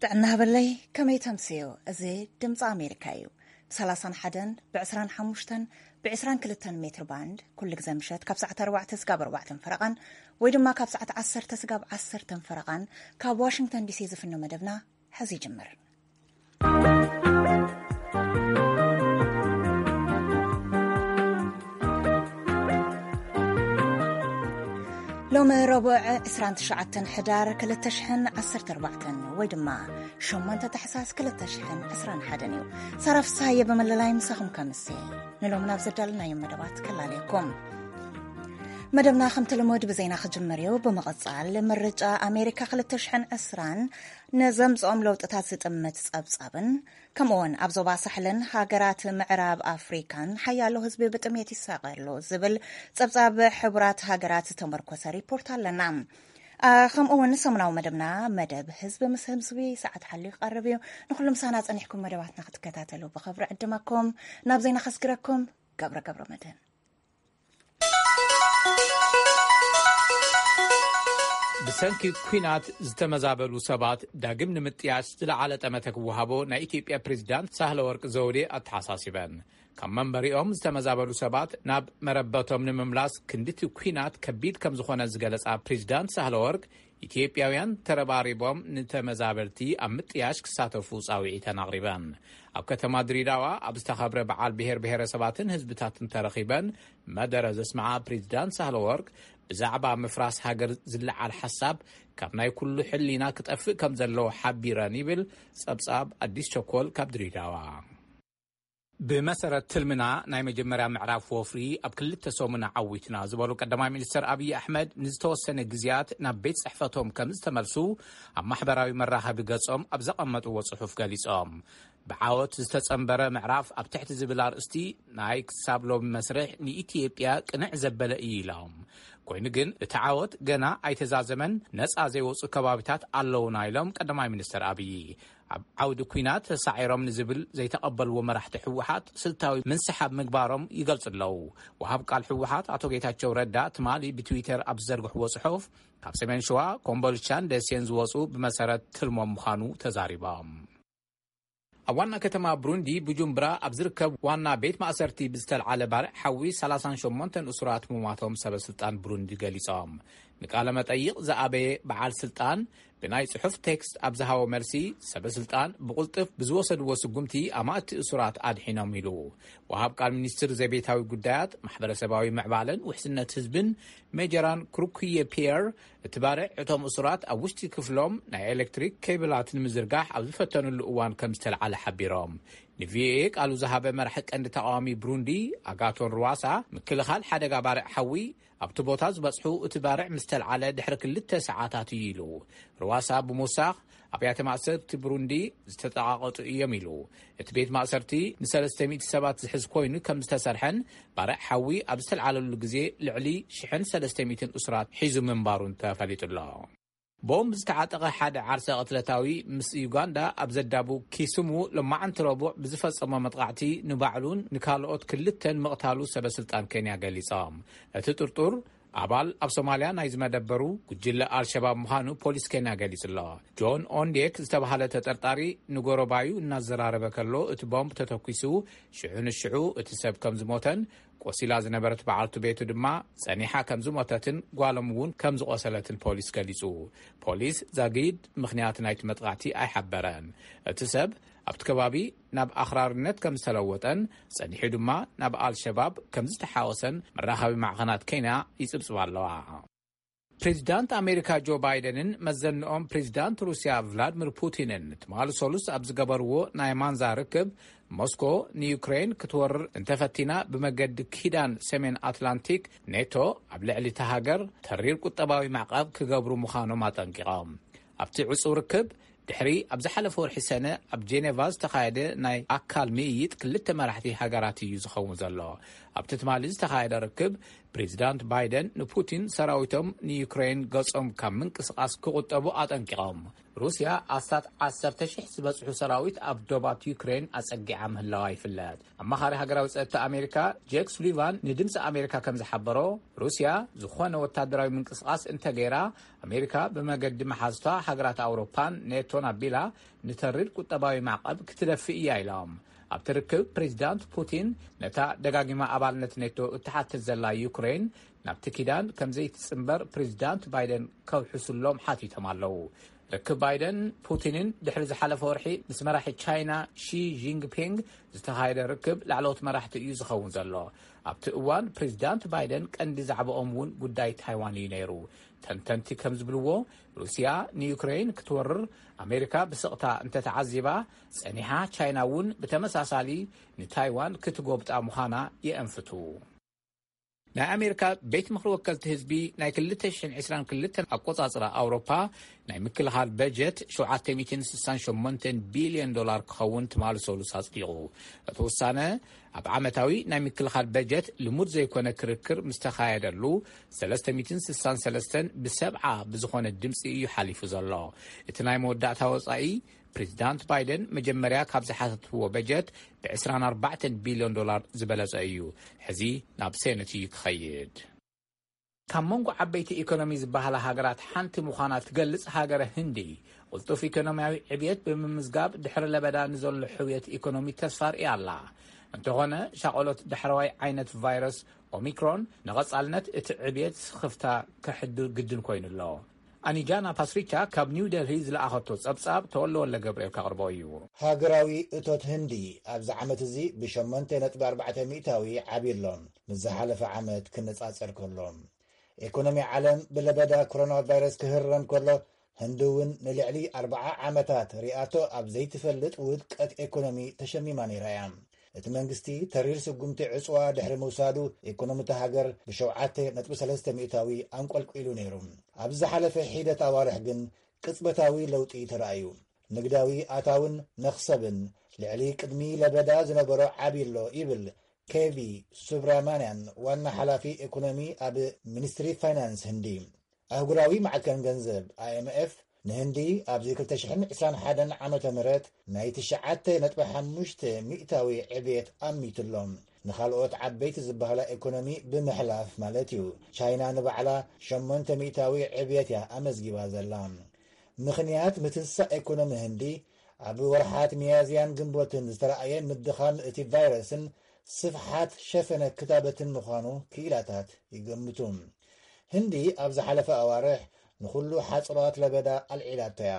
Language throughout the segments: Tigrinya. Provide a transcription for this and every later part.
ጥዕና ሃበለይ፣ ከመይ ተምስዮ? እዚ ድምፂ ኣሜሪካ እዩ። ብ31፣ ብ25፣ ብ22 ሜትር ባንድ፣ ኩሉ ግዜ ምሸት ካብ ሰዓት ኣርባዕተ ስጋብ ኣርባዕተን ፈረቓን፣ ወይ ድማ ካብ ሰዓት ዓሰርተ ስጋብ ዓሰርተን ፈረቓን፣ ካብ ዋሽንግተን ዲሲ ዝፍኖ መደብና ሕዚ ይጅምር። ሎሚ ረቡዕ ዕስራን ትሽዓተን ሕዳር ክልተ ሽሕን ዓሰርተ ኣርባዕተን ወይ ድማ ሸሞንተ ታሕሳስ ክልተ ሽሕን ዕስራን ሓደን እዩ። ሳራ ፍስሃየ ብመለላይ ምሳኹም ከምሲ ንሎሚ ናብ ዘዳለናዮም መደባት ከላለየኩም። መደብና ከምቲ ልሙድ ብዜና ክጅምር እዩ። ብምቕጻል ምርጫ ኣሜሪካ ክልተ ሽሕን ዕስራን ንዘምጽኦም ለውጥታት ዝጥምት ጸብጻብን ከምኡውን ኣብ ዞባ ሳሕልን ሃገራት ምዕራብ ኣፍሪካን ሓያሎ ህዝቢ ብጥሜት ይሳቐ ኣሎ ዝብል ጸብጻብ ሕቡራት ሃገራት ዝተመርኮሰ ሪፖርት ኣለና። ከምኡውን ሰሙናዊ መደብና መደብ ህዝቢ ምስ ህዝቢ ሰዓት ሓልዩ ክቐርብ እዩ። ንኹሉ ምሳና ጸኒሕኩም መደባትና ክትከታተሉ ብኸብሪ ዕድመኩም። ናብ ዜና ከስግረኩም። ገብረ ገብረ መድህን። ብሰንኪ ኲናት ዝተመዛበሉ ሰባት ዳግም ንምጥያሽ ዝለዓለ ጠመተ ክወሃቦ ናይ ኢትዮጵያ ፕሬዝዳንት ሳህለ ወርቅ ዘውዴ ኣተሓሳሲበን። ካብ መንበሪኦም ዝተመዛበሉ ሰባት ናብ መረበቶም ንምምላስ ክንድቲ ኲናት ከቢድ ከም ዝኾነ ዝገለጻ ፕሬዝዳንት ሳህለ ወርቅ፣ ኢትዮጵያውያን ተረባሪቦም ንተመዛበልቲ ኣብ ምጥያሽ ክሳተፉ ጻውዒተን ኣቕሪበን። ኣብ ከተማ ድሪዳዋ ኣብ ዝተኸብረ በዓል ብሔር ብሔረሰባትን ህዝብታትን ተረኺበን መደረ ዘስምዓ ፕሬዝዳንት ሳህለ ወርቅ፣ ብዛዕባ ምፍራስ ሃገር ዝለዓል ሓሳብ ካብ ናይ ኩሉ ሕሊና ክጠፍእ ከም ዘለዎ ሓቢረን ይብል ጸብጻብ ኣዲስ ቸኮል ካብ ድሪዳዋ። ብመሰረት ትልምና ናይ መጀመርያ ምዕራፍ ወፍሪ ኣብ ክልተ ሰሙን ዓዊትና ዝበሉ ቀዳማይ ሚኒስትር ኣብይ ኣሕመድ፣ ንዝተወሰነ ግዜያት ናብ ቤት ጽሕፈቶም ከም ዝተመልሱ ኣብ ማሕበራዊ መራኸቢ ገጾም ኣብ ዘቐመጥዎ ጽሑፍ ገሊጾም። ብዓወት ዝተጸንበረ ምዕራፍ ኣብ ትሕቲ ዝብል ኣርእስቲ ናይ ክሳብ ሎሚ መስርሕ ንኢትዮጵያ ቅንዕ ዘበለ እዩ ኢሎም። ኮይኑ ግን እቲ ዓወት ገና ኣይተዛዘመን፣ ነጻ ዘይወጹ ከባቢታት ኣለውና ኢሎም ቀዳማይ ሚኒስትር ኣብይ። ኣብ ዓውዲ ኲናት ተሳዒሮም ንዝብል ዘይተቐበልዎ መራሕቲ ህወሓት ስልታዊ ምንስሓብ ምግባሮም ይገልጹ ኣለዉ። ወሃብ ቃል ህወሓት ኣቶ ጌታቸው ረዳ ትማሊ ብትዊተር ኣብ ዝዘርግሕዎ ጽሑፍ፣ ካብ ሰሜን ሸዋ፣ ኮምቦልቻን ደሴን ዝወጹ ብመሰረት ትልሞም ምዃኑ ተዛሪቦም። ኣብ ዋና ከተማ ብሩንዲ ቡጁምብራ ኣብ ዝርከብ ዋና ቤት ማእሰርቲ ብዝተልዓለ ባርዕ ሓዊ ሰላሳን ሸሞንተን እሱራት ምሟቶም ሰበ ስልጣን ብሩንዲ ገሊጾም። ንቃለ መጠይቕ ዝኣበየ በዓል ስልጣን ብናይ ጽሑፍ ቴክስት ኣብ ዝሃቦ መልሲ፣ ሰበ ስልጣን ብቕልጥፍ ብዝወሰድዎ ስጉምቲ ኣማእቲ እሱራት ኣድሒኖም ኢሉ። ወሃብ ቃል ሚኒስትር ዘቤታዊ ጉዳያት፣ ማሕበረሰባዊ ምዕባለን ውሕስነት ህዝብን ሜጀራን ክሩኩየ ፒየር፣ እቲ ባርዕ እቶም እሱራት ኣብ ውሽጢ ክፍሎም ናይ ኤሌክትሪክ ኬብላት ንምዝርጋሕ ኣብ ዝፈተኑሉ እዋን ከም ዝተልዓለ ሓቢሮም። ንቪኦኤ ቃሉ ዝሃበ መራሒ ቀንዲ ተቃዋሚ ብሩንዲ ኣጋቶን ሩዋሳ፣ ምክልኻል ሓደጋ ባርዕ ሓዊ ኣብቲ ቦታ ዝበጽሑ እቲ ባርዕ ምስ ተልዓለ ድሕሪ ክልተ ሰዓታት እዩ ኢሉ። ሩዋሳ ብምውሳኽ፣ ኣብያተ ማእሰርቲ ብሩንዲ ዝተጠቓቐጡ እዮም ኢሉ። እቲ ቤት ማእሰርቲ ንሰለስተ ሚእቲ ሰባት ዝሕዝ ኮይኑ ከም ዝተሰርሐን ባርዕ ሓዊ ኣብ ዝተልዓለሉ ግዜ ልዕሊ ሽሕን ሰለስተ ሚእትን እሱራት ሒዙ ምንባሩን ተፈሊጡ ኣሎ። ቦምብ ዝተዓጠቐ ሓደ ዓርሰ ቅትለታዊ ምስ ዩጋንዳ ኣብ ዘዳቡ ኪስሙ ሎማዓንቲ ረቡዕ ብዝፈጸሞ መጥቓዕቲ ንባዕሉን ንካልኦት ክልተን ምቕታሉ ሰበ ስልጣን ኬንያ ገሊጾም። እቲ ጥርጡር ኣባል ኣብ ሶማልያ ናይ ዝመደበሩ ጉጅለ ኣልሸባብ ምዃኑ ፖሊስ ኬንያ ገሊጹ ኣሎ። ጆን ኦንዴክ ዝተባህለ ተጠርጣሪ ንጎረባዩ እናዘራረበ ከሎ እቲ ቦምብ ተተኲሱ፣ ሽዑ ንሽዑ እቲ ሰብ ከም ዝሞተን ቆሲላ ዝነበረት በዓልቱ ቤቱ ድማ ጸኒሓ ከም ዝሞተትን ጓሎም እውን ከም ዝቆሰለትን ፖሊስ ገሊጹ። ፖሊስ ዛጊድ ምኽንያት ናይቲ መጥቃዕቲ ኣይሓበረን። እቲ ሰብ ኣብቲ ከባቢ ናብ ኣኽራርነት ከም ዝተለወጠን ጸኒሑ ድማ ናብ ኣልሸባብ ከም ዝተሓወሰን መራኸቢ ማዕኸናት ኬንያ ይጽብጽባ ኣለዋ። ፕሬዚዳንት ኣሜሪካ ጆ ባይደንን መዘንኦም ፕሬዚዳንት ሩስያ ቭላድሚር ፑቲንን ትማሊ ሰሉስ ኣብ ዝገበርዎ ናይ ማንዛ ርክብ፣ ሞስኮ ንዩክሬን ክትወርር እንተፈቲና ብመገዲ ኪዳን ሰሜን ኣትላንቲክ ኔቶ ኣብ ልዕሊ እታ ሃገር ተሪር ቁጠባዊ ማዕቐብ ክገብሩ ምዃኖም ኣጠንቂቖም። ኣብቲ ዕጹው ርክብ፣ ድሕሪ ኣብ ዝሓለፈ ወርሒ ሰነ ኣብ ጄኔቫ ዝተኻየደ ናይ ኣካል ምይይጥ ክልተ መራሕቲ ሃገራት እዩ ዝኸውን ዘሎ። ኣብቲ ትማሊ ዝተኻየደ ርክብ፣ ፕሬዚዳንት ባይደን ንፑቲን ሰራዊቶም ንዩክሬን ገጾም ካብ ምንቅስቓስ ክቑጠቡ ኣጠንቂቖም። ሩስያ ኣስታት ዓሰርተ ሽሕ ዝበጽሑ ሰራዊት ኣብ ዶባት ዩክሬን ኣጸጊዓ ምህላዋ ይፍለጥ። ኣማኻሪ ሃገራዊ ጸጥታ ኣሜሪካ ጄክ ሱሊቫን ንድምፂ ኣሜሪካ ከም ዝሓበሮ፣ ሩስያ ዝኾነ ወታደራዊ ምንቅስቓስ እንተገይራ፣ ኣሜሪካ ብመገዲ መሓዙታ ሃገራት ኣውሮፓን ኔቶን ኣቢላ ንተሪር ቁጠባዊ ማዕቐብ ክትደፍእ እያ ኢሎም። ኣብቲ ርክብ ፕሬዚዳንት ፑቲን ነታ ደጋጊማ ኣባልነት ኔቶ እትሓትት ዘላ ዩክሬን ናብቲ ኪዳን ከም ዘይትጽንበር ፕሬዚዳንት ባይደን ከውሕሱሎም ሓቲቶም ኣለዉ። ርክብ ባይደን ፑቲንን ድሕሪ ዝሓለፈ ወርሒ ምስ መራሒ ቻይና ሺ ጂንግፒንግ ዝተኻየደ ርክብ ላዕለዎት መራሕቲ እዩ ዝኸውን ዘሎ። ኣብቲ እዋን ፕሬዚዳንት ባይደን ቀንዲ ዛዕባኦም እውን ጉዳይ ታይዋን እዩ ነይሩ። ተንተንቲ ከም ዝብልዎ፣ ሩስያ ንዩክሬን ክትወርር ኣሜሪካ ብስቕታ እንተተዓዚባ ጸኒሓ፣ ቻይና እውን ብተመሳሳሊ ንታይዋን ክትጎብጣ ምዃና የእንፍቱ። ናይ ኣሜሪካ ቤት ምኽሪ ወከልቲ ህዝቢ ናይ ክልተ ሽሕን ዕስራን ክልተን ኣቆጻጽራ ኣውሮፓ ናይ ምክልኻል በጀት ሸውዓተ ሚእትን ስሳን ሸሞንተን ቢልዮን ዶላር ክኸውን ትማሊ ሰሉስ ኣጽዲቑ። እቲ ውሳነ ኣብ ዓመታዊ ናይ ምክልኻል በጀት ልሙድ ዘይኮነ ክርክር ምስ ተኻየደሉ፣ ሰለስተ ሚእትን ስሳን ሰለስተን ብሰብዓ ብዝኾነ ድምፂ እዩ ሓሊፉ ዘሎ። እቲ ናይ መወዳእታ ወጻኢ ፕሬዚዳንት ባይደን መጀመርያ ካብ ዝሓተትዎ በጀት ብ ዕስራን ኣርባዕተን ቢልዮን ዶላር ዝበለጸ እዩ። ሕዚ ናብ ሴነት እዩ ክኸይድ። ካብ መንጎ ዓበይቲ ኢኮኖሚ ዝበሃላ ሃገራት ሓንቲ ምዃና ትገልጽ ሃገረ ህንዲ፣ ቅልጡፍ ኢኮኖሚያዊ ዕብየት ብምምዝጋብ ድሕሪ ለበዳ ንዘሎ ሕውየት ኢኮኖሚ ተስፋ ርእያ ኣላ። እንተኾነ፣ ሻቐሎት ዳሕረዋይ ዓይነት ቫይረስ ኦሚክሮን ንቐጻልነት እቲ ዕብየት ስኽፍታ ከሕድር ግድን ኮይኑ ኣሎ። ኣኒጃና ፓስሪቻ ካብ ኒው ደልሂ ዝለኣኸቶ ጸብጻብ ተወለ ወለ ገብርኤል ከቕርቦ እዩ። ሃገራዊ እቶት ህንዲ ኣብዚ ዓመት እዚ ብሸሞንተ ነጥቢ ኣርባዕተ ሚእታዊ ዓብዩ ኣሎ፣ ምስ ዝሓለፈ ዓመት ክነጻጸር ከሎ። ኤኮኖሚ ዓለም ብለበዳ ኮሮና ቫይረስ ክህረም ከሎ፣ ህንዲ እውን ንልዕሊ ኣርብዓ ዓመታት ሪኣቶ ኣብ ዘይትፈልጥ ውድቀት ኤኮኖሚ ተሸሚማ ነይራ እያ። እቲ መንግስቲ ተሪር ስጉምቲ ዕጽዋ ድሕሪ ምውሳዱ፣ ኤኮኖሚ እታ ሃገር ብሸውዓተ ነጥቢ ሰለስተ ሚእታዊ ኣንቆልቂሉ ነይሩ። ኣብ ዝሓለፈ ሒደት ኣዋርሕ ግን ቅጽበታዊ ለውጢ ተራእዩ። ንግዳዊ ኣታውን መኽሰብን ልዕሊ ቅድሚ ለበዳ ዝነበሮ ዓብዩ ኣሎ ይብል ኬቪ ሱብራማንያን፣ ዋና ሓላፊ ኤኮኖሚ ኣብ ሚኒስትሪ ፋይናንስ ህንዲ። ኣህጉራዊ ማዕከን ገንዘብ፣ ኣይ ኤም ኤፍ፣ ንህንዲ ኣብዚ ክልተ ሽሕን ዕስራን ሓደን ዓመተ ምህረት ናይ ትሽዓተ ነጥቢ ሓሙሽተ ሚእታዊ ዕብየት ኣሚትሎም። ንኻልኦት ዓበይቲ ዝበሃላ ኤኮኖሚ ብምሕላፍ ማለት እዩ። ቻይና ንባዕላ ሸሞንተ ሚእታዊ ዕብየት እያ ኣመዝጊባ ዘላ። ምኽንያት ምትንሳእ ኤኮኖሚ ህንዲ ኣብ ወርሓት ሚያዝያን ግንቦትን ዝተረኣየ ምድኻም እቲ ቫይረስን ስፍሓት ሸፈነ ክታበትን ምዃኑ ክኢላታት ይገምቱ። ህንዲ ኣብ ዝሓለፈ ኣዋርሕ ንኹሉ ሓጽራት ለበዳ ኣልዒላቶ እያ።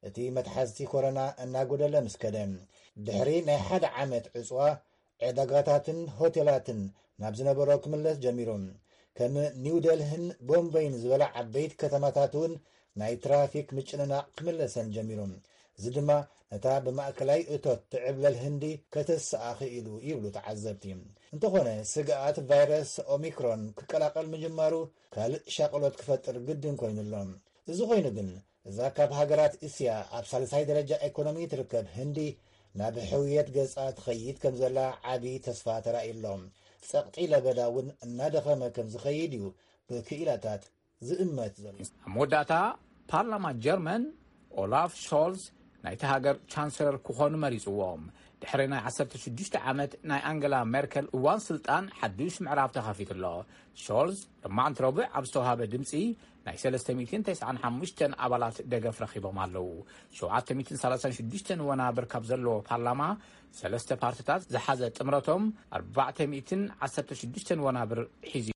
እቲ መትሓዝቲ ኮሮና እናጎደለ ምስ ከደ፣ ድሕሪ ናይ ሓደ ዓመት ዕጽዋ፣ ዕዳጋታትን ሆቴላትን ናብ ዝነበሮ ክምለስ ጀሚሩ። ከም ኒው ደልህን ቦምበይን ዝበላ ዓበይቲ ከተማታት እውን ናይ ትራፊክ ምጭንናቕ ክምለሰን ጀሚሩ። እዚ ድማ ነታ ብማእከላይ እቶት ትዕብለል ህንዲ ከተስኣ ክኢሉ ይብሉ ተዓዘብቲ። እንተኾነ፣ ስግኣት ቫይረስ ኦሚክሮን ክቀላቐል ምጅማሩ ካልእ ሻቕሎት ክፈጥር ግድን ኮይኑ ኣሎ። እዚ ኮይኑ ግን፣ እዛ ካብ ሃገራት እስያ ኣብ ሳልሳይ ደረጃ ኤኮኖሚ ትርከብ ህንዲ ናብ ሕውየት ገጻ ትኸይድ ከም ዘላ ዓቢ ተስፋ ተራእዩ ኣሎ። ጸቕጢ ለበዳ እውን እናደኸመ ከም ዝኸይድ እዩ ብክኢላታት ዝእመት ዘሎ። ኣብ መወዳእታ፣ ፓርላማ ጀርመን ኦላፍ ሾልዝ ናይቲ ሃገር ቻንሰለር ክኾኑ መሪጽዎም። ድሕሪ ናይ ዓሰርተ ሽዱሽተ ዓመት ናይ ኣንገላ ሜርከል እዋን ስልጣን ሓዱሽ ምዕራፍ ተኸፊቱ ኣሎ። ሾልዝ ሎማዕንቲ ረቡዕ ኣብ ዝተዋሃበ ድምጺ ናይ ሰለስተ ሚእትን ተስዓን ሓሙሽተን ኣባላት ደገፍ ረኺቦም ኣለዉ። ሸውዓተ ሚእትን ሰላሳን ሽዱሽተን ወናብር ካብ ዘለዎ ፓርላማ፣ ሰለስተ ፓርቲታት ዝሓዘ ጥምረቶም ኣርባዕተ ሚእትን ዓሰርተ ሽዱሽተን ወናብር ሒዙ።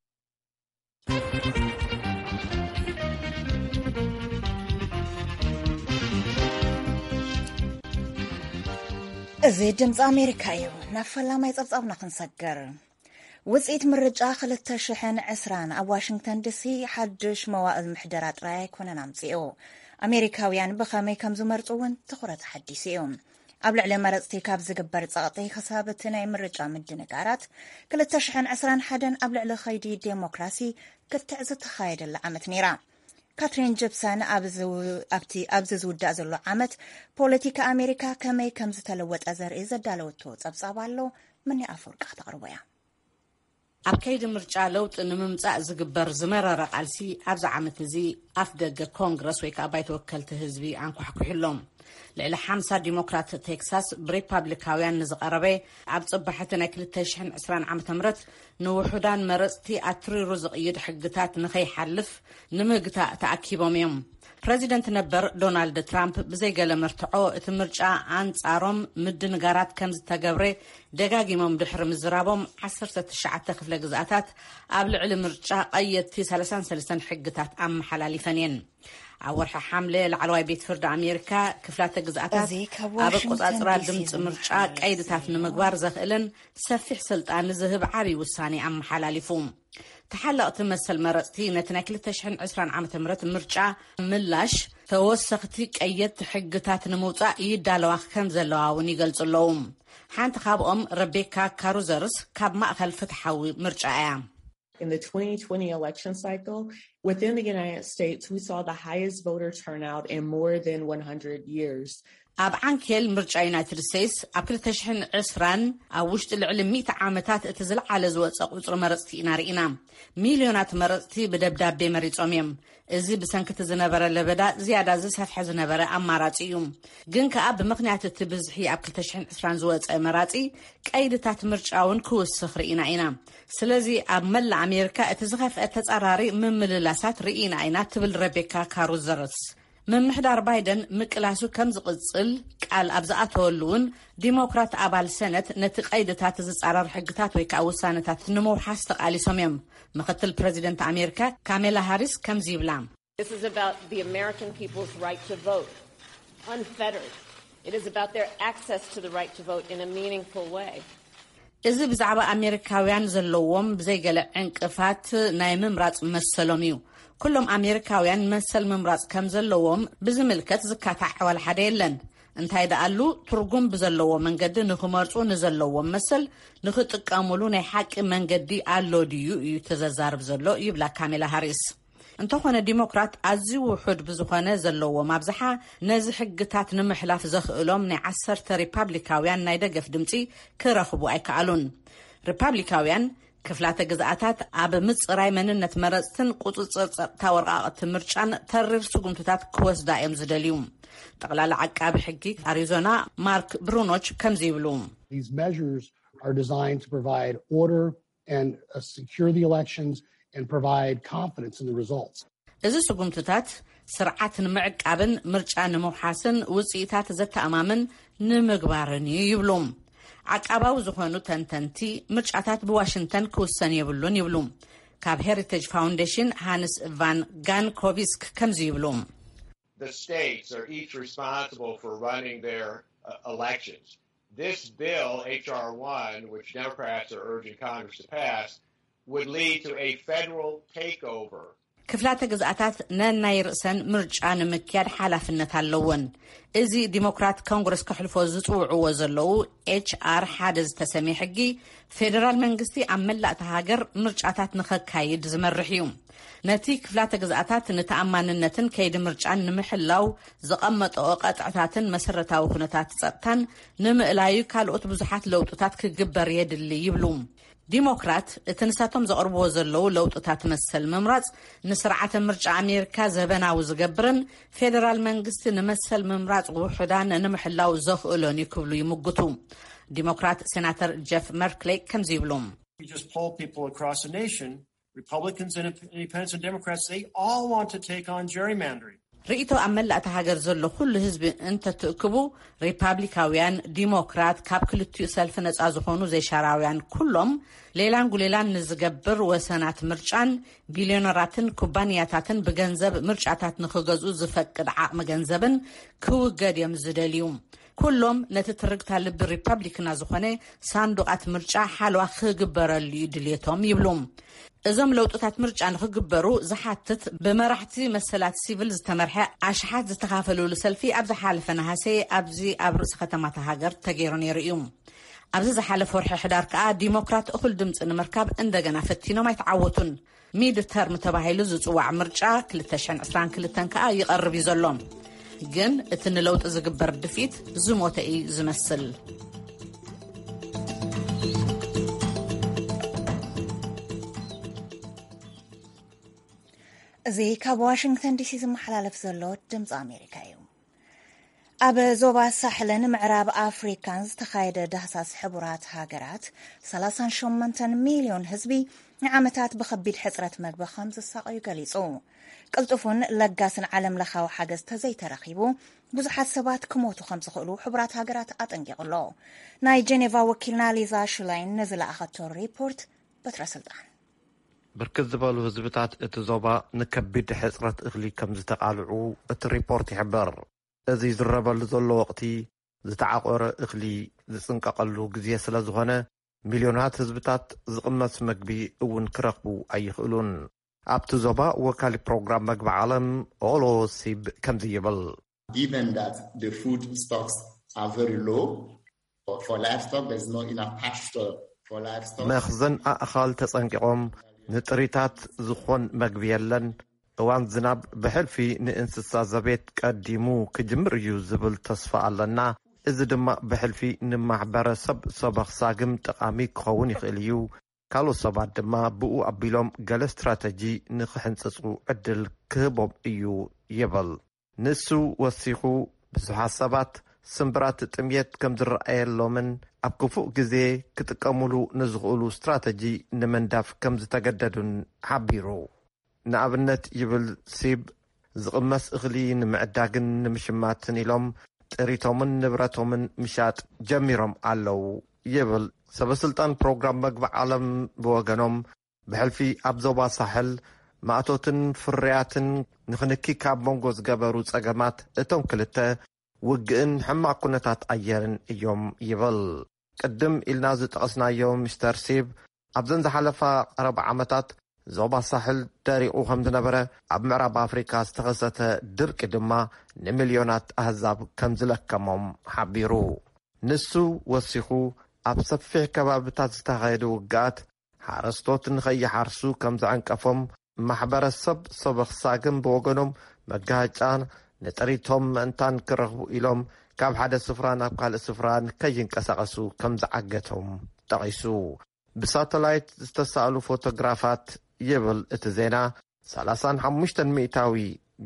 እዚ ድምፂ ኣሜሪካ እዩ። ናብ ፈላማይ ጸብጻብና ክንሰግር። ውፅኢት ምርጫ ክልተ ሽሕን ዕስራን ኣብ ዋሽንግተን ዲሲ ሓድሽ መዋእል ምሕደራ ጥራይ ኣይኮነን ኣምፂኡ። ኣሜሪካውያን ብኸመይ ከም ዝመርፁ እውን ትኹረት ሓዲሱ እዩ። ኣብ ልዕሊ መረፅቲ ካብ ዝግበር ጸቕጢ ክሳብ እቲ ናይ ምርጫ ምድንጋራት፣ ክልተ ሽሕን ዕስራን ሓደን ኣብ ልዕሊ ኸይዲ ዴሞክራሲ ክትዕ ዝተኻየደላ ዓመት ነይራ። ካትሪን ጂፕሰን ኣብ ዝው-፣ ኣብቲ ኣብዚ ዝውዳእ ዘሎ ዓመት ፖለቲካ ኣሜሪካ ከመይ ከም ዝተለወጠ ዘርኢ ዘዳለወቶ ጸብጻብ ኣሎ። ምኒ ኣፈወርቂ ከተቕርቦ እያ። ኣብ ከይዲ ምርጫ ለውጢ ንምምፃእ ዝግበር ዝመረረ ቃልሲ ኣብዚ ዓመት እዚ ኣፍ ደገ ኮንግረስ ወይ ከዓ ባይተ ወከልቲ ህዝቢ ኣንኳሕኩሕሎም። ልዕሊ ሓምሳ ዲሞክራት ቴክሳስ ብሪፓብሊካውያን ንዝቐረበ ኣብ ጽባሕቲ ናይ ክልተ ሽሕን ዕስራን ዓመተ ምህረት ንውሑዳን መረጽቲ ኣትሪሩ ዝቕይድ ሕግታት ንኸይሓልፍ ንምግታእ ተኣኪቦም እዮም። ፕረዚደንት ነበር ዶናልድ ትራምፕ ብዘይገለ መርትዖ እቲ ምርጫ ኣንጻሮም ምድንጋራት ከም ዝተገብረ ደጋጊሞም ድሕሪ ምዝራቦም፣ ዓሰርተ ትሽዓተ ክፍለ ግዝኣታት ኣብ ልዕሊ ምርጫ ቀየድቲ ሰላሳን ሰለስተን ሕግታት ኣመሓላሊፈን እየን። ኣብ ወርሒ ሓምለ ላዕለዋይ ቤት ፍርዲ ኣሜሪካ ክፍላተ ግዝኣታት ኣብ ኣቆጻጽራ ድምፂ ምርጫ ቀይድታት ንምግባር ዘኽእልን ሰፊሕ ስልጣን ዝህብ ዓብዪ ውሳኔ ኣመሓላሊፉ። ተሓለቕቲ መሰል መረፅቲ ነቲ ናይ ክልተ ሽሕን ዕስራን ዓመተ ምህረት ምርጫ ምላሽ ተወሰኽቲ ቀየድቲ ሕግታት ንምውፃእ ይዳለዋ ከም ዘለዋ እውን ይገልፁ ኣለዉ። ሓንቲ ካብኦም ረቤካ ካሩዘርስ ካብ ማእኸል ፍትሓዊ ምርጫ እያ። In the twenty twenty election cycle, within the United States, we saw the highest voter turnout in more than one hundred years. ኣብ ዓንኬል ምርጫ ዩናይትድ ስቴትስ ኣብ ክልተ ሽሕን ዕስራን ኣብ ውሽጢ ልዕሊ ሚእቲ ዓመታት እቲ ዝለዓለ ዝወፀ ቁፅሪ መረፅቲ ኢና ርኢና። ሚልዮናት መረፅቲ ብደብዳቤ መሪፆም እዮም። እዚ ብሰንክቲ ዝነበረ ለበዳ ዝያዳ ዝሰፍሐ ዝነበረ ኣማራፂ እዩ። ግን ከኣ ብምኽንያት እቲ ብዝሒ ኣብ ክልተ ሽሕን ዕስራን ዝወፀ መራፂ ቀይድታት ምርጫ እውን ክውስኽ ርኢና ኢና። ስለዚ ኣብ መላእ ኣሜሪካ እቲ ዝኸፍአ ተጻራሪ ምምልላሳት ርኢና ኢና ትብል ረቤካ ካሩዘርስ። ምምሕዳር ባይደን ምቅላሱ ከም ዝቕጽል ቃል ኣብ ዝኣተወሉ እውን ዲሞክራት ኣባል ሰነት ነቲ ቀይድታት ዝጻረር ሕግታት ወይ ከዓ ውሳነታት ንምውሓስ ተቓሊሶም እዮም። ምኽትል ፕረዚደንት ኣሜሪካ ካሜላ ሃሪስ ከምዚ ይብላ። This is about the American people's right to vote, unfettered. It is about their access to the right to vote in a meaningful way. እዚ ብዛዕባ ኣሜሪካውያን ዘለዎም ብዘይገለ ዕንቅፋት ናይ ምምራፅ መሰሎም እዩ። ኩሎም ኣሜሪካውያን መሰል ምምራፅ ከም ዘለዎም ብዝምልከት ዝካታዕ ዋላ ሓደ የለን። እንታይ ደኣሉ ትርጉም ብዘለዎ መንገዲ ንክመርፁ ንዘለዎም መሰል ንክጥቀሙሉ ናይ ሓቂ መንገዲ ኣሎ ድዩ እዩ ተዘዛርብ ዘሎ ይብላ ካሜላ ሃሪስ። እንተኾነ ዲሞክራት ኣዝዩ ውሑድ ብዝኾነ ዘለዎም ኣብዝሓ ነዚ ሕግታት ንምሕላፍ ዘኽእሎም ናይ ዓሰርተ ሪፓብሊካውያን ናይ ደገፍ ድምፂ ክረኽቡ ኣይከኣሉን። ሪፓብሊካውያን ክፍላተ ግዝኣታት ኣብ ምፅራይ መንነት መረፅትን ቁፅፅር ፀጥታ ወረቃቕቲ ምርጫን ተሪር ስጉምትታት ክወስዳ እዮም ዝደልዩ። ጠቕላላ ዓቃቢ ሕጊ ኣሪዞና ማርክ ብሩኖች ከምዚ ይብሉ። These measures are designed to provide order and uh, secure the elections and provide confidence in the results. እዚ ስጉምትታት ስርዓት ንምዕቃብን ምርጫ ንምውሓስን ውፅኢታት ዘተኣማምን ንምግባርን እዩ ይብሉ። ዓቃባዊ ዝኾኑ ተንተንቲ፣ ምርጫታት ብዋሽንግተን ክውሰን የብሉን ይብሉ። ካብ ሄሪቴጅ ፋውንዴሽን ሃንስ ቫን ጋንኮቪስክ ከምዚ ይብሉ። The states are each responsible for running their uh, elections. This bill, H R one, which Democrats are urging Congress to pass, would lead to a federal takeover. ክፍላተ ግዝኣታት ነናይ ርእሰን ምርጫ ንምክያድ ሓላፍነት ኣለወን። እዚ ዲሞክራት ኮንግረስ ከሕልፎ ዝፅውዕዎ ዘለዉ ኤች ኣር ሓደ ዝተሰምየ ሕጊ ፌደራል መንግስቲ ኣብ መላእ እታ ሃገር ምርጫታት ንኸካይድ ዝመርሕ እዩ። ነቲ ክፍላተ ግዝኣታት ንተኣማንነትን ከይዲ ምርጫን ንምሕላው ዘቐመጠኦ ቀጥዕታትን መሰረታዊ ኩነታት ጸጥታን ንምእላዩ ካልኦት ብዙሓት ለውጥታት ክግበር የድሊ ይብሉ። ዲሞክራት እቲ ንሳቶም ዘቕርብዎ ዘለዉ ለውጥታት መሰል ምምራጽ ንስርዓተ ምርጫ ኣሜሪካ ዘበናዊ ዝገብርን ፌደራል መንግስቲ ንመሰል ምምራጽ ውሑዳን ንምሕላው ዘኽእሎን እዩ ክብሉ ይምጉቱ። ዲሞክራት ሴናተር ጀፍ መርክሌ ከምዚ ይብሉ። We just poll people across the nation, Republicans and independents and Democrats, they all want to take on gerrymandering. ርእይቶ ኣብ መላእ እታ ሃገር ዘሎ ኩሉ ህዝቢ እንተትእክቡ፣ ሪፓብሊካውያን፣ ዲሞክራት፣ ካብ ክልቲኡ ሰልፊ ነጻ ዝኾኑ ዘይሻራውያን ኩሎም ሌላን ጉሌላን ንዝገብር ወሰናት ምርጫን ቢልዮነራትን ኩባንያታትን ብገንዘብ ምርጫታት ንኽገዝኡ ዝፈቅድ ዓቕሚ ገንዘብን ክውገድ እዮም ዝደልዩ። ኩሎም ነቲ ትርግታ ልቢ ሪፓብሊክና ዝኾነ ሳንዱቓት ምርጫ ሓለዋ ክግበረሉ እዩ ድልየቶም ይብሉ። እዞም ለውጥታት ምርጫ ንኽግበሩ ዝሓትት ብመራሕቲ መሰላት ሲቪል ዝተመርሐ ኣሽሓት ዝተኻፈሉሉ ሰልፊ ኣብ ዝሓለፈ ነሃሰ ኣብዚ ኣብ ርእሲ ከተማታ ሃገር ተገይሩ ነይሩ እዩ። ኣብዚ ዝሓለፈ ወርሒ ሕዳር ከኣ ዲሞክራት እኹል ድምፂ ንምርካብ እንደገና ፈቲኖም ኣይተዓወቱን። ሚድ ተርም ተባሂሉ ዝፅዋዕ ምርጫ ክልተ ሽሕን ዕስራን ክልተን ከኣ ይቐርብ እዩ ዘሎ። ግን እቲ ንለውጢ ዝግበር ድፍኢት ዝሞተ እዩ ዝመስል። እዚ ካብ ዋሽንግተን ዲሲ ዝመሓላለፍ ዘሎ ድምፂ ኣሜሪካ እዩ። ኣብ ዞባ ሳሕልን ምዕራብ ኣፍሪካን ዝተኻየደ ዳህሳስ ሕቡራት ሃገራት፣ ሰላሳን ሸሞንተን ሚልዮን ህዝቢ ንዓመታት ብኸቢድ ሕፅረት መግቢ ከም ዝሳቐዩ ገሊፁ። ቅልጡፉን ለጋስን ዓለም ለኻዊ ሓገዝ ተዘይተረኺቡ፣ ብዙሓት ሰባት ክሞቱ ከም ዝኽእሉ ሕቡራት ሃገራት ኣጠንቂቑ ኣሎ። ናይ ጀኔቫ ወኪልና ሊዛ ሽላይን ንዝለኣኸቶ ሪፖርት በትረ ስልጣን። ብርክት ዝበሉ ህዝብታት እቲ ዞባ ንከቢድ ሕፅረት እኽሊ ከም ዝተቓልዑ እቲ ሪፖርት ይሕብር። እዚ ዝረበሉ ዘሎ ወቕቲ ዝተዓቆረ እኽሊ ዝፅንቀቐሉ ግዜ ስለ ዝኾነ፣ ሚልዮናት ህዝብታት ዝቕመስ መግቢ እውን ክረኽቡ ኣይኽእሉን። ኣብቲ ዞባ ወካሊ ፕሮግራም መግቢ ዓለም ኦሎ ሲብ ከምዚ ይብል። Given that the food stocks are very low for, for livestock, there's no enough pasture for livestock. መኽዘን ኣእኻል ተጸንቂቖም፣ ንጥሪታት ዝኾን መግቢ የለን። እዋን ዝናብ ብሕልፊ ንእንስሳ ዘቤት ቀዲሙ ክጅምር እዩ ዝብል ተስፋ ኣለና። እዚ ድማ ብሕልፊ ንማሕበረሰብ ሰበኽ ሳግም ጠቓሚ ክኸውን ይኽእል እዩ። ካልኦት ሰባት ድማ ብኡ ኣቢሎም ገለ ስትራተጂ ንኽሕንጽጹ ዕድል ክህቦም እዩ ይብል። ንሱ ወሲኹ፣ ብዙሓት ሰባት ስምብራት ጥምየት ከም ዝረኣየሎምን ኣብ ክፉእ ግዜ ክጥቀሙሉ ንዝኽእሉ ስትራተጂ ንምንዳፍ ከም ዝተገደዱን ሓቢሩ። ንኣብነት ይብል ሲብ፣ ዝቕመስ እኽሊ ንምዕዳግን ንምሽማትን ኢሎም ጥሪቶምን ንብረቶምን ምሻጥ ጀሚሮም ኣለዉ ይብል። ሰበስልጣን ፕሮግራም መግቢ ዓለም ብወገኖም፣ ብሕልፊ ኣብ ዞባ ሳሕል ማእቶትን ፍርያትን ንኽንኪ ካብ መንጎ ዝገበሩ ጸገማት እቶም ክልተ ውግእን ሕማቕ ኩነታት ኣየርን እዮም ይብል። ቅድም ኢልና ዝጠቐስናዮ ሚስተር ሲብ፣ ኣብዘን ዝሓለፋ ቀረባ ዓመታት ዞባ ሳሕል ደሪቑ ከም ዝነበረ፣ ኣብ ምዕራብ ኣፍሪካ ዝተኸሰተ ድርቂ ድማ ንሚልዮናት ኣህዛብ ከም ዝለከሞም ሓቢሩ። ንሱ ወሲኹ፣ ኣብ ሰፊሕ ከባብታት ዝተኻየዱ ውግኣት ሓረስቶት ንኸይሓርሱ ከም ዘዐንቀፎም፣ ማሕበረሰብ ሰበኽ ሳግም ብወገኖም፣ መጋጫ ንጥሪቶም ምእንታን ክረኽቡ ኢሎም ካብ ሓደ ስፍራ ናብ ካልእ ስፍራ ንከይንቀሳቐሱ ከም ዝዓገቶም ጠቒሱ። ብሳተላይት ዝተሳእሉ ፎቶግራፋት ይብል እቲ ዜና፣ ሰላሳን ሓሙሽተን ሚእታዊ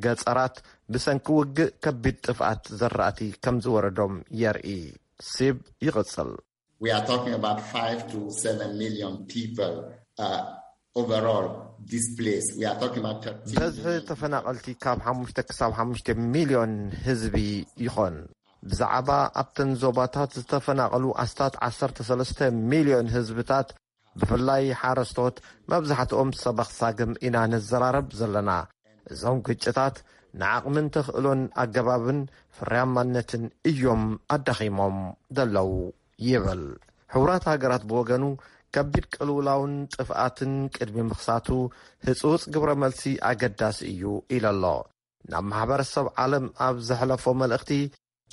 ገጸራት ብሰንኪ ውግእ ከቢድ ጥፍኣት ዘራእቲ ከም ዝወረዶም የርኢ። ሲብ ይቕጽል። We are talking about five to seven million people uh, overall displaced. We are talking about thirteen በዝሒ million. ተፈናቐልቲ ካብ ሓሙሽተ ክሳብ ሓሙሽተ ሚልዮን ህዝቢ ይኾን። ብዛዕባ ኣብተን ዞባታት ዝተፈናቐሉ ኣስታት ዓሰርተ ሰለስተ ሚልዮን ህዝብታት፣ ብፍላይ ሓረስቶት፣ መብዛሕትኦም ሰበኽ ሳግም ኢና ንዘራረብ ዘለና። እዞም ግጭታት ንዓቕምን ተኽእሎን ኣገባብን ፍርያማነትን እዮም ኣዳኺሞም ዘለዉ ይብል። ሕቡራት ሃገራት ብወገኑ፣ ከቢድ ቅልውላውን ጥፍኣትን ቅድሚ ምኽሳቱ ህጹጽ ግብረ መልሲ ኣገዳሲ እዩ ኢሉ ኣሎ። ናብ ማሕበረሰብ ዓለም ኣብ ዘሕለፎ መልእኽቲ፣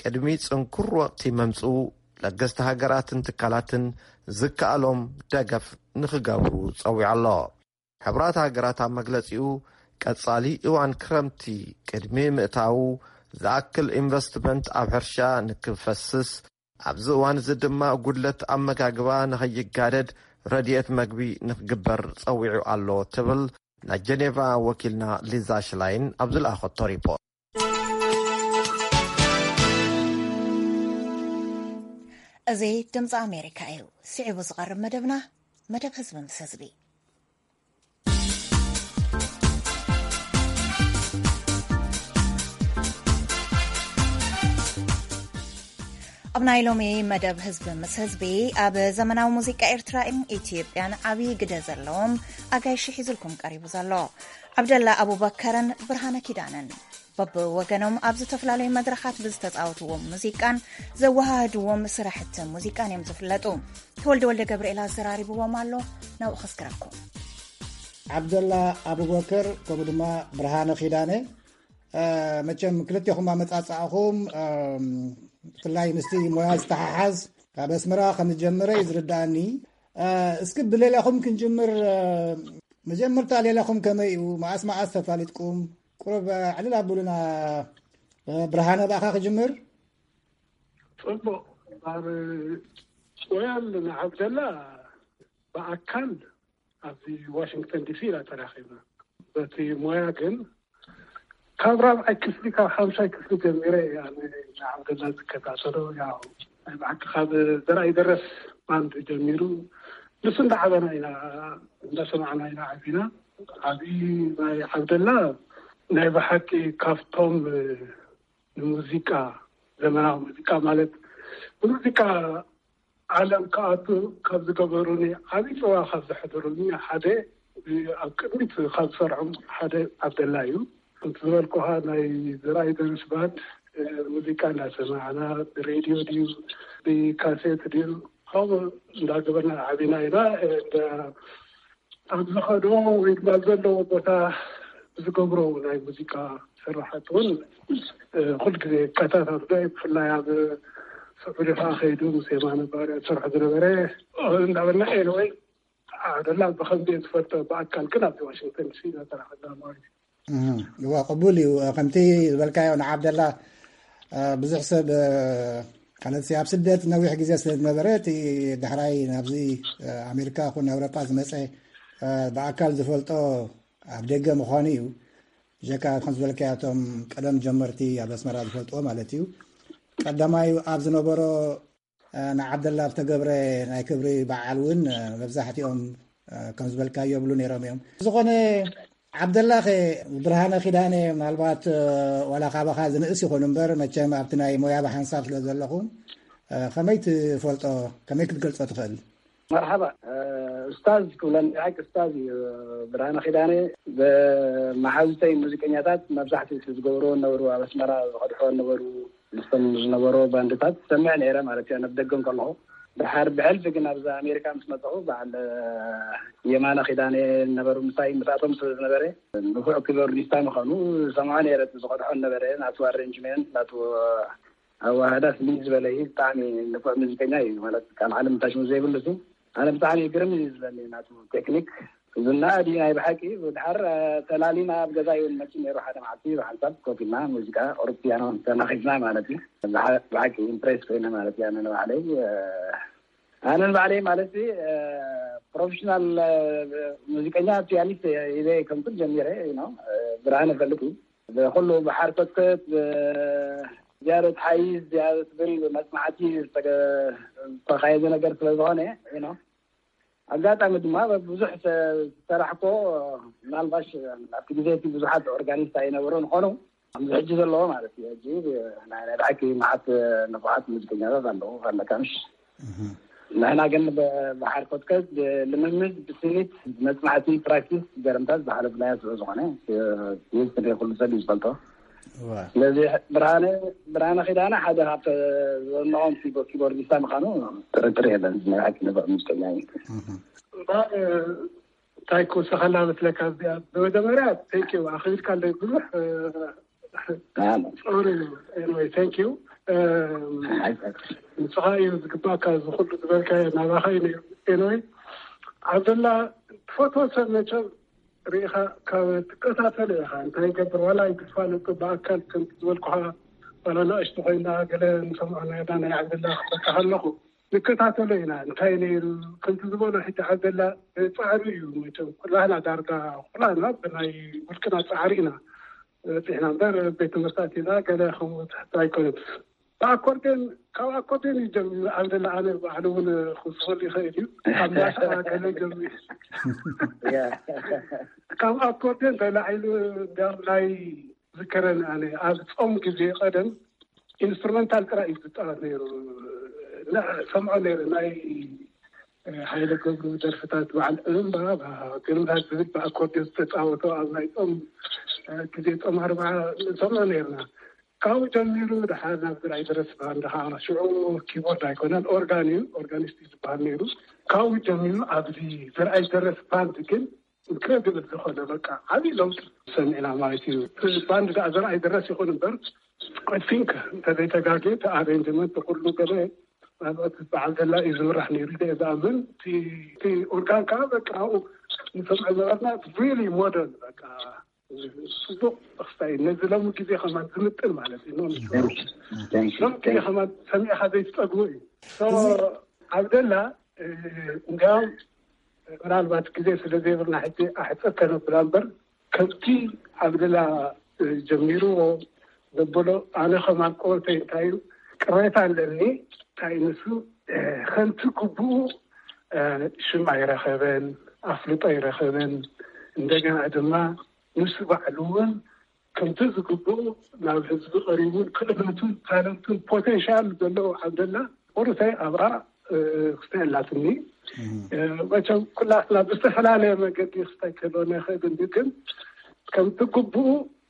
ቅድሚ ጽንኩር ወቕቲ መምጽኡ ለገስቲ ሃገራትን ትካላትን ዝከኣሎም ደገፍ ንኽገብሩ ጸዊዑ ኣሎ። ሕቡራት ሃገራት ኣብ መግለጺኡ፣ ቀጻሊ እዋን ክረምቲ ቅድሚ ምእታዉ ዝኣክል ኢንቨስትመንት ኣብ ሕርሻ ንክፈስስ፣ ኣብዚ እዋን እዚ ድማ ጉድለት ኣመጋግባ ንኸይጋደድ ረድኤት መግቢ ንክግበር ጸዊዑ ኣሎ ትብል ናይ ጀኔቫ ወኪልና ሊዛ ሽላይን ኣብ ዝለኣኸቶ ሪፖርት። እዚ ድምፂ ኣሜሪካ እዩ። ስዒቡ ዝቐርብ መደብና መደብ ህዝቢ ምስ ህዝቢ። ኣብ ናይ ሎሚ መደብ ህዝቢ ምስ ህዝቢ፣ ኣብ ዘመናዊ ሙዚቃ ኤርትራን ኢትዮጵያን ዓብዪ ግደ ዘለዎም ኣጋይሽ ሒዙልኩም ቀሪቡ ዘሎ። ዓብደላ ኣቡበከርን ብርሃነ ኪዳነን በብወገኖም ኣብ ዝተፈላለዩ መድረኻት ብዝተፃወትዎም ሙዚቃን ዘወሃህድዎም ስራሕቲ ሙዚቃን እዮም ዝፍለጡ። ተወልደ ወልደ ገብርኤል ኣዘራሪብዎም ኣሎ። ናብኡ ከስክረኩም። ዓብደላ ኣቡበከር ከምኡ ድማ ብርሃነ ኪዳነ፣ መቸም ክልቴኹም ኣመፃፅኣኹም ብፍላይ ምስቲ ሞያ ዝተሓሓዝ ካብ ኣስመራ ከም ዝጀመረ እዩ ዝርዳእኒ። እስኪ ብሌላኹም ክንጅምር። መጀመርታ ሌላኹም ከመይ እዩ? መዓስ መዓስ ተፋሊጥኩም? ቁሩብ ዕልል ኣብሉና። ብርሃነ ብኣኻ ክጅምር። ፅቡቕ። ኣብ ወያል ንዓብደላ ብኣካል ኣብዚ ዋሽንግተን ዲሲ ኢና ተራኺብና። በቲ ሞያ ግን ካብ ራብዓይ ክፍሊ፣ ካብ ሓምሻይ ክፍሊ ጀሚረ እየ ኣነ ንዓብደላ ዝከታተሎ። ያው ናይ ብሓቂ ካብ ዘርኣይ ደረስ ባንድ ጀሚሩ፣ ንሱ እንዳዓበና ኢና፣ እንዳሰማዕና ኢና ዓቢና። ዓቢ ናይ ዓብደላ ናይ ብሓቂ ካብቶም ንሙዚቃ፣ ዘመናዊ ሙዚቃ ማለት ንሙዚቃ ዓለም ክኣቱ ካብ ዝገበሩኒ፣ ዓቢ ጽዋ ካብ ዘሕደሩኒ ሓደ፣ ኣብ ቅድሚት ካብ ዝሰርዖም ሓደ ዓብደላ እዩ። ከምቲ ዝበልኩኻ ናይ ዘርኣይ ደረስ ባንድ፣ ሙዚቃ እንዳሰማዕና፣ ብሬድዮ ድዩ ብካሴት ድዩ፣ ከምኡ እንዳገበርና ዓቢና ኢና። እንዳ ኣብ ዝኸዶ ወይ ድማ ዘለዎ ቦታ ዝገብሮ ናይ ሙዚቃ ስራሓት እውን ኩል ግዜ ይከታተሎ። ብፍላይ ኣብ ስዑዲ ከዓ ከይዱ ምስ የማነ ባርያ ዝሰርሖ ዝነበረ እንዳበልና ኤንወይ ዓብደላ ብከምዚ ዝፈልጦ፣ ብኣካል ግን ኣብዚ ዋሽንግተን ዲሲ ኢና ተራኸብና ማለት እዩ። እዋ፣ ቅቡል እዩ። ከምቲ ዝበልካዮ ንዓብደላ ብዙሕ ሰብ ማለት ኣብ ስደት ነዊሕ ግዜ ስለ ዝነበረ፣ እቲ ዳሕራይ ናብዚ ኣሜሪካ ኹን ኣውሮጳ ዝመፀ ብኣካል ዝፈልጦ ኣብ ደገ ምዃኑ እዩ። ጀካ ከም ዝበልካዮ እቶም ቀደም ጀመርቲ ኣብ ኣስመራ ዝፈልጥዎ ማለት እዩ። ቀዳማይ ኣብ ዝነበሮ ንዓብደላ ዝተገብረ ናይ ክብሪ በዓል እውን መብዛሕትኦም ከም ዝበልካዮ የብሉ ነይሮም እዮም። ዝኾነ ዓብደላ ኸ፣ ብርሃነ ኪዳነ፣ ምናልባት ዋላ ካባኻ ዝንእስ ይኹን እምበር፣ መቸም ኣብቲ ናይ ሞያ ብሓንሳብ ስለ ዘለኹም፣ ከመይ ትፈልጦ፣ ከመይ ክትገልጾ ትኽእል? መርሓባ። ኡስታዝ ክብለኒ ሓቂ ኡስታዝ እዩ። ብርሃነ ኪዳነ፣ ብመሓዙተይ ሙዚቀኛታት መብዛሕትኡ እቲ ዝገብርዎ ነበሩ፣ ኣብ ኣስመራ ዝቐድሕዎ ነበሩ፣ ምስቶም ዝነበሩ ባንድታት ሰምዕ ነይረ ማለት እዩ፣ ኣብ ደገ እንከለኹ። ድሓር ብሕልፊ ግን ኣብዚ ኣሜሪካ ምስ መፀኹ፣ በዓል የማነ ኪዳነ ነበሩ ምሳይ፣ ምስኣቶም ስለ ዝነበረ፣ ንፉዕ ኪቦርዲስታ ምዃኑ ዝሰምዖ ነይረ። እቲ ዝቐድሖ ነበረ፣ ናቱ ኣሬንጅመንት፣ ናቱ ኣዋህዳ ፍልይ ዝበለ እዩ። ብጣዕሚ ንፉዕ ሙዚቀኛ እዩ ማለት፣ ካብ ዓለም ታሽሙ ዘይብሉ ሲ። ኣነ ብጣዕሚ ግርም እዩ ዝብለኒ ናቱ ቴክኒክ። ዝና ድዩ ናይ ብሓቂ? ብድሓር ተላሊና ኣብ ገዛ ይውን መፂ ነይሩ ሓደ መዓልቲ፣ ብሓንሳብ ኮፍ ኢልና ሙዚቃ ኦር ፒያኖ ተናኺስና ማለት እዩ። ብሓ-፣ ብሓቂ ኢምፕሬስ ኮይነ ማለት እዩ። ኣነ ንባዕለይ ኣነ ንባዕለይ ማለት ፕሮፌሽናል ሙዚቀኛ ፒያኒስት ኢለ ከምኩን ጀሚረ ነው። ብርሃነ ፈልጥ እዩ። ብኩሉ ብሓርኮትኮት፣ ብዝያደት ሓይስ፣ ዝያደት ብል መጽናዕቲ ዝተገ-፣ ዝተኻየደ ነገር ስለ ዝኾነ፣ you know፣ ኣጋጣሚ ድማ ብዙሕ ሰ-፣ ዝሰራሕኮ፣ ምናልባሽ ኣብቲ ግዜ እቲ ብዙሓት ኦርጋኒስት ኣይነበሩን፣ ኾኑ ኣብዚ ሕጂ ዘለዎ ማለት እዩ። ሕጂ ናይ፣ ናይ ብሓቂ መዓት ንፉዓት ሙዚቀኛታት ኣለዉ፣ ኣለካ ምሽ? ንሕና ግን ብ-፣ ብሓርኮትከት፣ ብልምምድ፣ ብስኒት፣ ብመጽናዕቲ፣ ፕራክቲስ፣ ገረምታት ዝሓለፍናዮ ስለ ዝኾነ፣ ይዝክር ኩሉ ሰብ እዩ ዝፈልጦ። እዋ። ስለዚ ብርሃነ፣ ብርሃነ ኪዳነ ሓደ ካብተ-፣ ዝወነቖም ኪቦ-፣ ኪቦርዲስታ ምዃኑ ጥርጥር የለን። ናይ ሓቂ ንፉዕ ሙዚቀኛ እዩ። እምበኣር እንታይ ክውስኸላ መስለካ? እዚኣ ብመጀመርያ፣ ቴንክ ዩ፣ ኣኽቢርካ ኣለይ ብዙሕ፣ እ፣ ኣነ። ሶሪ፣ ኤንወይ፣ ቴንክ ዩ። እም፣ ኣይ፣ ኣይ። ንስኻ እዩ ዝግባእካ፣ እዚ ኩሉ ዝበልካዮ ናባኻ እዩ ነይሩ። ኤንወይ፣ ዓብደላ፣ ትፈትዎ ሰብ መቸም ርኢኻ ካብ ትከታተሎ ኢኻ። እንታይ ይገብር፣ ዋላ ኣይትፋለጦ፣ ብኣካል ከምቲ ዝበልኩኻ፣ ዋላ ንእሽቶ ኮይና ገለ ንሰምዖ ነርና፣ ናይ ዓብደላ ክበካ ከለኹ፣ ንከታተሎ ኢና። እንታይ ነይሩ፣ ከምቲ ዝበሎ ሕጂ ዓብደላ፣ ጻዕሪ እዩ መቸም። ኩላህና ዳርጋ፣ ኩላህና ብናይ ውልቅና ጻዕሪ ኢና በጺሕና እምበር፣ ቤት ትምህርቲ ኣቲና ገለ ከምኡ ትሕቶ ኣይኮነን። ብኣኮርዴን፣ ካብ ኣኮርዴን እዩ ጀሚሩ ዓብደላ። ኣነ ባዕሉ እውን ክውስኸሉ ይኽእል እዩ። ካብ ማሻ ገለ ጀሚሩ። ያ። ካብ ኣኮርዴን ተላዒሉ እንዲያውም ናይ ዝከረኒ ኣነ ኣብ ጾም ግዜ ቀደም ኢንስትሩመንታል ጥራይ እዩ ዝጻወት ነይሩ። እና ሰምዖ ነይሩ ናይ ሃይለ ገብሩ ደርፍታት፣ በዓል እምባ፣ ግርምታት ዝብል ብኣኮርዲዮን ዝተጻወቶ ኣብ ናይ ጾም ግዜ፣ ጾም ኣርብዓ ንሰምዖ ነይርና። ካብኡ ጀሚሩ ድሓር ናብ ዝርኣይ ደረስ ባንድ ከዓ፣ ሽዑ ኪቦርድ ኣይኮነን፣ ኦርጋን እዩ፣ ኦርጋኒስት እዩ ዝበሃል ነይሩ። ካብኡ ጀሚሩ ኣብዚ ዝርኣይ ደረስ ባንድ ግን ኢንክሬዲብል ዝኾነ በቃ ዓብዪ ለውጢ ሰሚዕና ማለት እዩ። እቲ ባንድ ደኣ ዘርኣይ ደረስ ይኹን እምበር፣ ኣይ ቲንክ እንተዘይተጋግየ እቲ ኣሬንጅመንት ኩሉ ገለ ምናልባት በዓል ደላ እዩ ዝምራሕ ነይሩ ኢለ ዝኣምን። እቲ፣ እቲ ኦርጋን ከዓ በቃ ኣብኡ ንሰምዖ ዝነበርና ሪሊ ሞደርን በቃ ጽቡቕ ተኽስታይ ነዚ ሎሚ ግዜ ከማን ዝምጥን ማለት እዩ። ኖ፣ ሎሚ ግዜ ከማን ሰሚዕኻ ዘይትጸግቦ እዩ። ሶ፣ ዓብደላ፣ እ፣ እንዲያውም ምናልባት ግዜ ስለ ዘይብልና ሕጂ ኣሕጽር ከነብላ እምበር፣ ከምቲ ዓብደላ ጀሚርዎ ዘበሎ፣ ኣነ ከም ኣቀወተይ እንታይ እዩ ቅሬታ ኣለኒ። እንታይ ንሱ ከምቲ ግቡኡ ሽም ኣይረኸበን፣ ኣፍልጦ ኣይረኸበን። እንደገና ድማ ንሱ ባዕሉ እውን ከምቲ ዝግብኡ ናብ ህዝቢ ቀሪቡን ክእለቱን ታለንቱን ፖቴንሻል ዘለዎ ዓብደላ ቁርተይ ኣብኣ ክስተ ኣላትኒ። መቸም ኩላትና ብዝተፈላለየ መገዲ ክስታይ ከሎ ንኽእል እንዲ፣ ግን ከምቲ ግብኡ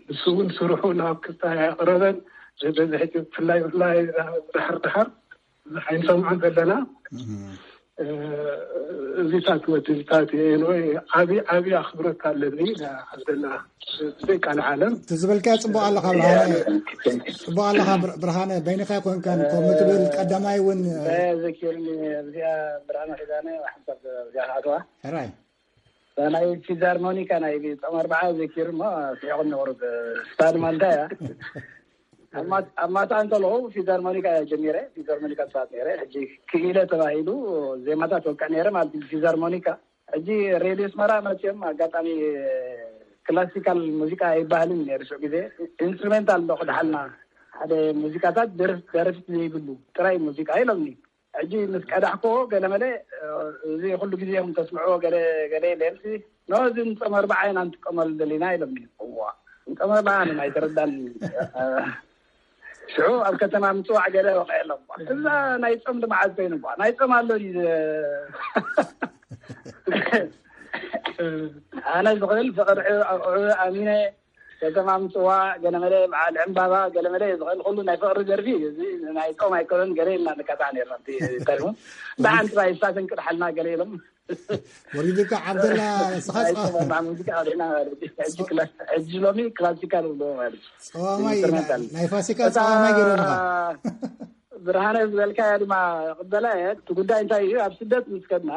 ንሱ እውን ስርሑ ናብ ክስታይ ኣቕረበን። በዚ ሕጂ ብፍላይ ብፍላይ ድሓር ድሓር ብዙሕ ኣይንሰምዖን ዘለና። እዚታት ወድልታት ወይ ዓብዪ ዓብዪ ኣኽብሮት ኣለኒ ንዓብደላ ብዘይ ቃል ዓለም። እቲ ዝበልካዮ ጽቡቕ ኣለኻ ብርሃነ። ጽቡቕ ኣለኻ ብር- ብርሃነ፣ በይንኻ ኣይኮንካን ከምኡ ትብል። ቀዳማይ እውን ዘኪርኒ እዚኣ ብርሃነ ኪዳነ ሓንሳብ እዚኣ ክኣትዋ ሕራይ ናይ ፊዛርሞኒካ ናይ ጾም ኣርብዓ ዘኪሩ እሞ ስሒቑኒ ቁሩብ። ስታ ድማ እንታይ እያ? ኣብ ማት- ኣብ ማታ እንከለኹ ፊዛርሞኒካ ጀሚረ፣ ፊዛርሞኒካ ስርዓት ነይረ። ሕጂ ክኢለ ተባሂሉ ዜማታት ወቅዕ ነይረ ማለት እዩ። ፊዛርሞኒካ ሕጂ ሬድዮ ኣስመራ መፅኦም ኣጋጣሚ ክላሲካል ሙዚቃ ኣይባህልን ነይሩ ሽዑ ግዜ። ኢንስትሩሜንታል እንዶ ክድሓልና ሓደ ሙዚቃታት ደርፍ- ደረፍቲ ዘይብሉ ጥራይ ሙዚቃ ኢሎምኒ። ሕጂ ምስ ቀዳሕኮ ገለ መለ እዚ ኩሉ ግዜ ኹም ተስምዕዎ ገለ ገለ የለምሲ ኖ እዚ ንፀም ኣርባዓ ኢና ንጥቀመሉ ዘለና ኢሎምኒ። እዋ ንፀም ኣርባዓ ንና ኣይተረዳን። ሽዑ ኣብ ከተማ ምፅዋዕ ገለ ወቀ የሎም። እዛ ናይ ፆም ድማ ዓዝ ኮይኑ እኳ ናይ ፆም ኣሎ ድዩ? ኣነ ዝኽእል ፍቕሪ ዕ- ኣሚነ ከተማ ምፅዋዕ ገለመለ በዓል ዕምባባ ገለመለ ዝኽእል ኩሉ ናይ ፍቕሪ ደርፊ እዩ። እዚ ናይ ፆም ኣይኮነን ገለ ኢልና ንቀጣዕ ነርና። ተሪሙ ብሓንቲ ባይ ሳትን ቅድሓልና ገለ ኢሎም ወሪዱካ ዓብደላ ስኻ ናይ ፆም ሙዚቃ ሪና ማለት እዩ። ሕጂ ክላ- ሕጂ ሎሚ ክላሲካል ብሎ ማለት እዩ። ጸዋማይ ኢና። ኢንስትሩመንታል። ናይ ፋሲካ እታ ጸዋማይ ገይሮምኻ። ብርሃነ ዝበልካያ ድማ ቅበላ እየ። እቲ ጉዳይ እንታይ እዩ? ኣብ ስደት ምስ ከድና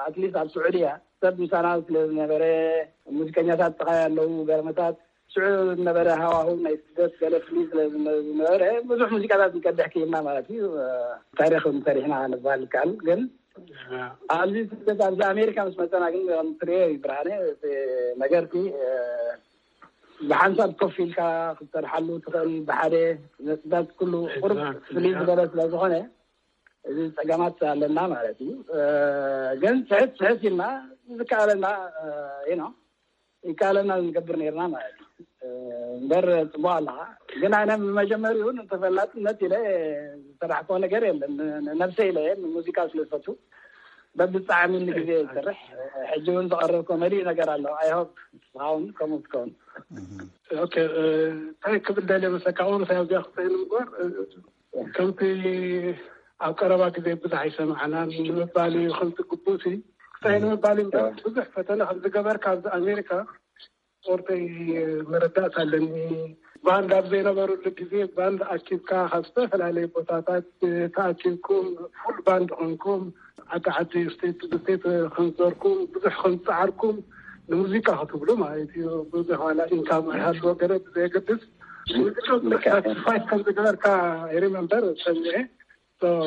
ኣትሊስት ኣብ ስዑድያ ሰብ ምሳና ስለ ዝነበረ ሙዚቀኛታት ጥቓይ ኣለዉ ገርመታት ሽዑ ዝነበረ ሃዋሁ ናይ ስደት ገለ ፍልይ ስለ ዝነ- ዝነበረ ብዙሕ ሙዚቃታት ንቀድሕ ክኢልና ማለት እዩ። ታሪክ ሰሪሕና ንባል ይከኣል ግን ኣብዚ ስደት ኣብዚ ኣሜሪካ ምስ መፀና ግን ትሪኦ እዩ ብርሃነ እቲ ነገርሲ ብሓንሳብ ኮፍ ኢልካ ክትሰርሓሉ ትኽእል ብሓደ ነጥብታት ኩሉ ቁርብ ፍልይ ዝበለ ስለ ዝኾነ እዚ ፀገማት ኣለና ማለት እዩ። ግን ስሕት ስሕት ኢልና ዝከኣለና ነው ይከኣለና ንገብር ነርና ማለት እዩ። እምበር ፅቡቅ ኣለካ ግን ኣነ መጀመሪኡ ተፈላጥነት ኢለ ዝሰራሕኮ ነገር የለን። ነብሰ ኢለ ሙዚቃ ስለ ዝፈቱ በብጣዕሚ ንግዜ ዝሰርሕ ሕጂ እውን ዝቐርብ ኮመዲ ነገር ኣሎ። ኣይሆፕ ንስኻውን ከምኡ ትከውን። እንታይ ክብል ደልየ መሰካ ቁሩብ ኣብዚኣ ክፅእል ምግባር ከምቲ ኣብ ቀረባ ግዜ ብዙሕ ኣይሰማዕናን ንምባል እዩ። ከምቲ ግቡእሲ ክሳይ ንምባል እዩ እምበር ብዙሕ ፈተነ ከም ዝገበርካ ኣብዚ ኣሜሪካ ስፖርተይ መረዳእታ ኣለኒ። ባንድ ኣብ ዘይነበሩሉ ግዜ ባንድ ኣኪብካ ካብ ዝተፈላለዩ ቦታታት ተኣኪብኩም ፉል ባንድ ኮንኩም ዓዲ ዓዲ ስቴት ብስቴት ከምዝዞርኩም ብዙሕ ከምዝፀዓርኩም ንሙዚቃ ክትብሉ ማለት እዩ። ብዙሕ ዋላ ኢንካም ኣይሃልዎ ገለ ብዘየገድስ ሙዚቃ ሳክሪፋይስ ከም ዝገበርካ ይሪመምበር ሰሚዐ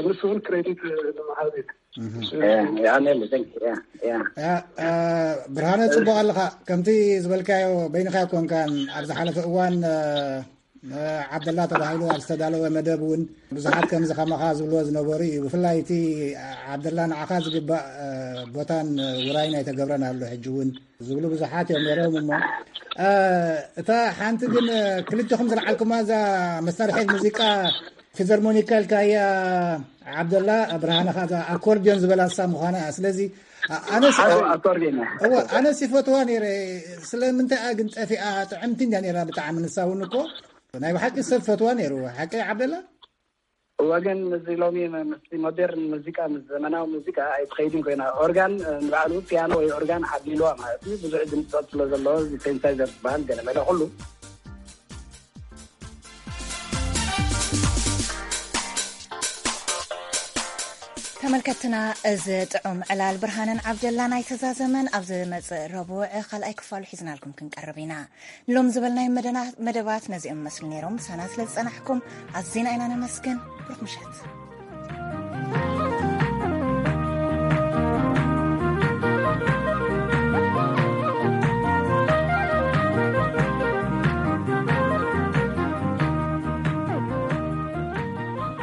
ንሱ እውን ክሬዲት ንምሃብ ብርሃነ ፅቡቅ ኣለካ ከምቲ ዝበልካዮ በይንካ ኮንካን ኣብ ዝሓለፈ እዋን ዓብደላ ተባሂሉ ኣብ ዝተዳለወ መደብ እውን ብዙሓት ከምዚ ከማኻ ዝብልዎ ዝነበሩ እዩ። ብፍላይ እቲ ዓብደላ ንዓኻ ዝግባእ ቦታን ውራይን ኣይተገብረን ኣሎ ሕጂ እውን ዝብሉ ብዙሓት እዮም ነይሮም። እሞ እታ ሓንቲ ግን ክልተኹም ዝለዓልኩማ እዛ መሳርሒ ሙዚቃ ፊዘርሞኒካ ኢልካያ ዓብደላ ብርሃነ ከኣ እዛ ኣኮርዲዮን ዝበላ እሳ ምዃና እያ። ስለዚ ኣነስ ኣኮርዲዮን እያ። እወ ኣነስ ይፈትዋ ነይረ። ስለምንታይ እያ ግን ጠፊኣ? ጥዕምቲ እንድያ ነይራ ብጣዕሚ። ንሳ እውን እኮ ናይ ብሓቂ ሰብ ፈትዋ ነይሩ። ሓቂ ዓብደላ? እወ ግን እዚ ሎሚ ምስቲ ሞዴርን ሙዚቃ ምስ ዘመናዊ ሙዚቃ ኣይትኸይድን ኮይና። ኦርጋን ንባዕሉ ፒያኖ ወይ ኦርጋን ዓብሊልዋ ማለት እዩ። ብዙሕ ድምፅታት ስለ ዘለዎ እዚ ሴንሳይዘር ዝበሃል ገለመለ ኩሉ ተመልከትና እዚ ጥዑም ዕላል ብርሃነን ዓብደላ ናይ ተዛዘመን ኣብ ዝመፅእ ረቡዕ ካልኣይ ክፋሉ ሒዝናልኩም ክንቀርብ ኢና። ንሎም ዝበልናይ መደባት ነዚኦም መስሉ ነይሮም። ምሳና ስለ ዝፀናሕኩም ኣዚና ኢና ነመስግን። ብሩክ ምሸት።